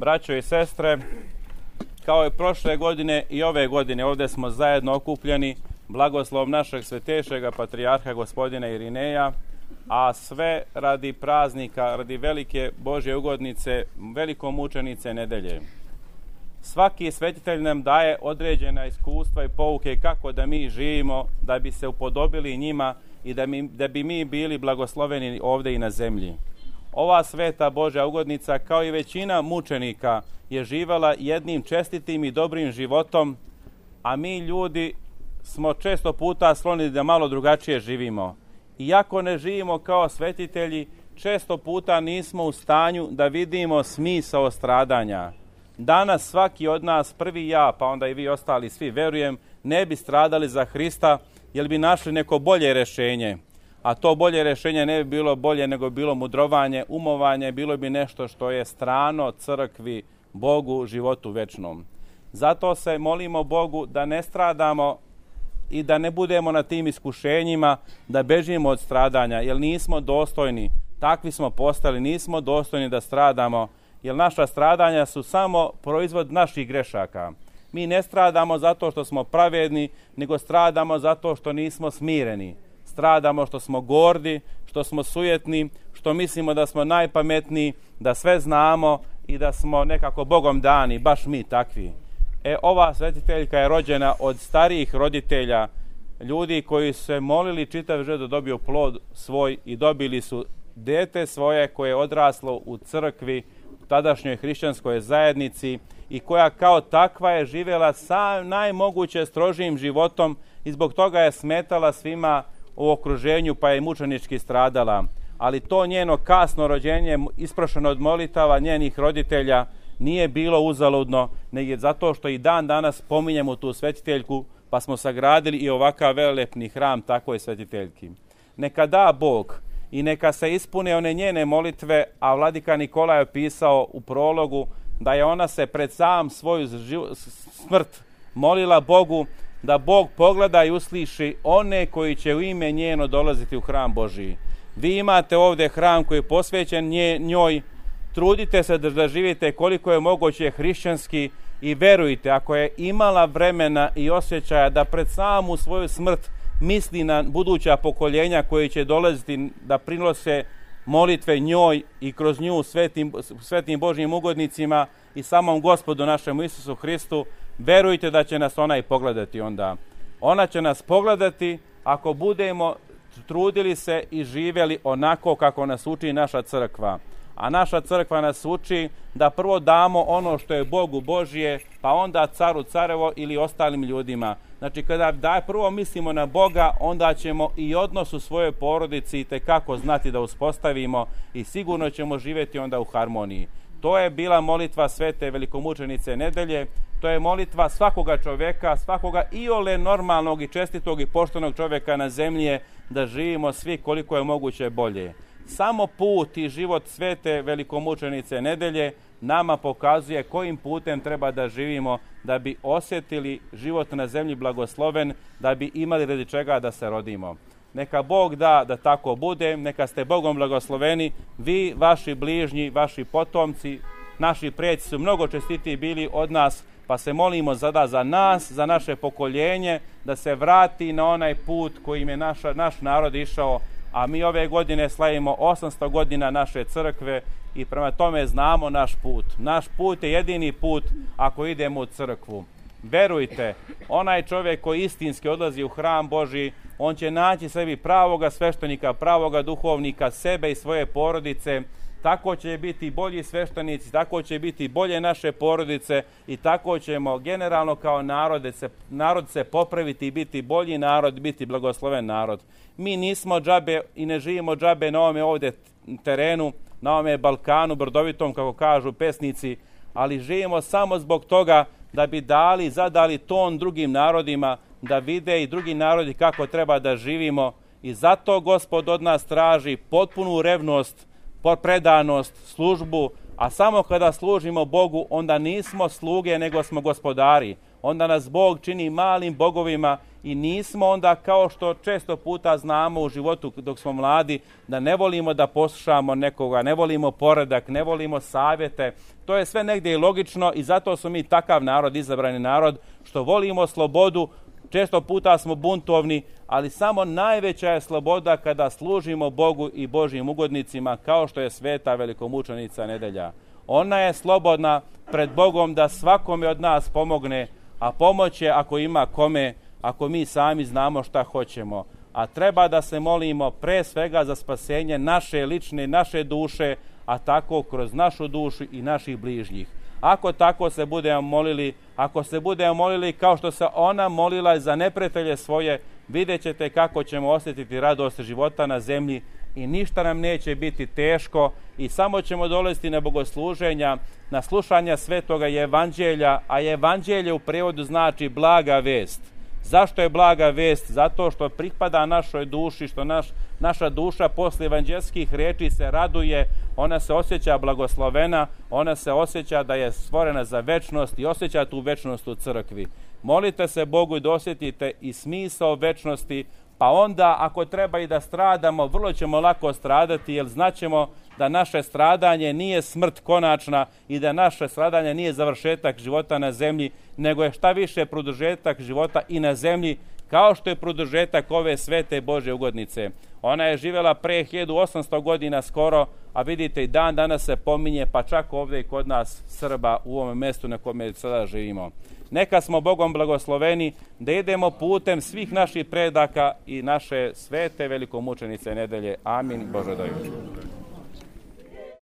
Braćo i sestre, kao i prošle godine i ove godine ovdje smo zajedno okupljeni blagoslovom našeg svetejšega patrijarha gospodina Irineja, a sve radi praznika, radi velike Božje ugodnice, velikomučenice nedelje. Svaki svetitelj nam daje određena iskustva i pouke kako da mi živimo, da bi se upodobili njima i da bi mi bili blagosloveni ovdje i na zemlji. Ova sveta Božja ugodnica, kao i većina mučenika, je živjela jednim čestitim i dobrim životom, a mi ljudi smo često puta skloni da malo drugačije živimo. Iako ne živimo kao svetitelji, često puta nismo u stanju da vidimo smisao stradanja. Danas svaki od nas, prvi ja, pa onda i vi ostali svi, verujem, ne bi stradali za Hrista, jer bi našli neko bolje rješenje. A to bolje rješenje ne bi bilo bolje nego bilo mudrovanje, umovanje, bilo bi nešto što je strano crkvi, Bogu, životu večnom. Zato se molimo Bogu da ne stradamo i da ne budemo na tim iskušenjima, da bežimo od stradanja, jer nismo dostojni, takvi smo postali, nismo dostojni da stradamo, jer naša stradanja su samo proizvod naših grešaka. Mi ne stradamo zato što smo pravedni, nego stradamo zato što nismo smireni. Stradamo što smo gordi, što smo sujetni, što mislimo da smo najpametniji, da sve znamo i da smo nekako Bogom dani, baš mi takvi. Ova svetiteljka je rođena od starijih roditelja, ljudi koji su se molili čitav život da dobiju plod svoj i dobili su dete svoje koje je odraslo u crkvi, u tadašnjoj hrišćanskoj zajednici i koja kao takva je živjela sa najmoguće strožijim životom i zbog toga je smetala svima u okruženju pa je mučenički stradala. Ali to njeno kasno rođenje, isprošeno od molitava njenih roditelja, nije bilo uzaludno, nego zato što i dan danas spominjemo tu svetiteljku, pa smo sagradili i ovakav velelepni hram takvoj svetiteljki. Neka da Bog i neka se ispune one njene molitve, a vladika Nikolaj je pisao u prologu da je ona se pred sam svoju smrt molila Bogu da Bog pogleda i usliši one koji će u ime njeno dolaziti u hram Božiji. Vi imate ovdje hram koji je posvećen njoj, trudite se da živite koliko je moguće hrišćanski i verujte, ako je imala vremena i osjećaja da pred samu svoju smrt misli na buduća pokoljenja koji će dolaziti da prinose molitve njoj i kroz nju svetim Božjim ugodnicima i samom Gospodu našemu Isusu Hristu, verujte da će nas ona i pogledati onda. Ona će nas pogledati ako budemo trudili se i živjeli onako kako nas uči naša crkva. A naša crkva nas uči da prvo damo ono što je Bogu Božje, pa onda caru carevo ili ostalim ljudima. Znači kada prvo mislimo na Boga, onda ćemo i odnos u svojoj porodici itekako znati da uspostavimo i sigurno ćemo živjeti onda u harmoniji. To je bila molitva svete velikomučenice nedelje, to je molitva svakoga čovjeka, svakoga iole normalnog i čestitog i poštenog čovjeka na zemlji, da živimo svi koliko je moguće bolje. Samo put i život svete velikomučenice nedelje nama pokazuje kojim putem treba da živimo da bi osjetili život na zemlji blagosloven, da bi imali radi čega da se rodimo. Neka Bog da tako bude, neka ste Bogom blagosloveni, vi, vaši bližnji, vaši potomci, naši preci su mnogo čestitiji bili od nas, pa se molimo sada za nas, za naše pokoljenje, da se vrati na onaj put kojim je naš narod išao, a mi ove godine slavimo 800 godina naše crkve i prema tome znamo naš put. Naš put je jedini put ako idemo u crkvu. Verujte, onaj čovjek koji istinski odlazi u hram Božji, on će naći sebi pravoga sveštenika, pravoga duhovnika, sebe i svoje porodice. Tako će biti bolji sveštenici, tako će biti bolje naše porodice i tako ćemo generalno kao narod se popraviti i biti bolji narod, biti blagosloven narod. Mi nismo džabe i ne živimo džabe na ovome ovdje terenu, na ovome Balkanu brdovitom, kako kažu pesnici, ali živimo samo zbog toga da bi zadali ton drugim narodima, da vide i drugi narodi kako treba da živimo i zato Gospod od nas traži potpunu revnost, predanost, službu, a samo kada služimo Bogu, onda nismo sluge, nego smo gospodari. Onda nas Bog čini malim bogovima i nismo onda, kao što često puta znamo u životu dok smo mladi, da ne volimo da poslušamo nekoga, ne volimo poredak, ne volimo savjete. To je sve negdje i logično i zato smo mi takav narod, izabrani narod, što volimo slobodu. Često puta smo buntovni, ali samo najveća je sloboda kada služimo Bogu i Božjim ugodnicima, kao što je sveta velikomučenica Nedelja. Ona je slobodna pred Bogom da svakome od nas pomogne, a pomoć je ako ima kome, ako mi sami znamo šta hoćemo. A treba da se molimo pre svega za spasenje naše lične, naše duše, a tako kroz našu dušu i naših bližnjih. Ako tako se budemo molili, ako se budemo molili kao što se ona molila za neprijatelje svoje, vidjet ćete kako ćemo osjetiti radost života na zemlji i ništa nam neće biti teško i samo ćemo dolaziti na bogosluženja, na slušanja svetoga evanđelja, a evanđelje u prevodu znači blaga vest. Zašto je blaga vest? Zato što pripada našoj duši, što naša duša posle evanđelskih riječi se raduje, ona se osjeća blagoslovena, ona se osjeća da je stvorena za večnost i osjeća tu večnost u crkvi. Molite se Bogu da osjetite i smisao večnosti, pa onda ako treba i da stradamo, vrlo ćemo lako stradati, jer znaćemo da naše stradanje nije smrt konačna i da naše stradanje nije završetak života na zemlji, nego je šta više produžetak života i na zemlji, kao što je produžetak ove svete Božje ugodnice. Ona je živjela pre 1800 godina skoro, a vidite i dan danas se pominje, pa čak ovdje i kod nas Srba u ovom mjestu na kojem sada živimo. Neka smo Bogom blagosloveni da idemo putem svih naših predaka i naše svete velikomučenice Nedelje. Amin. Bože daj.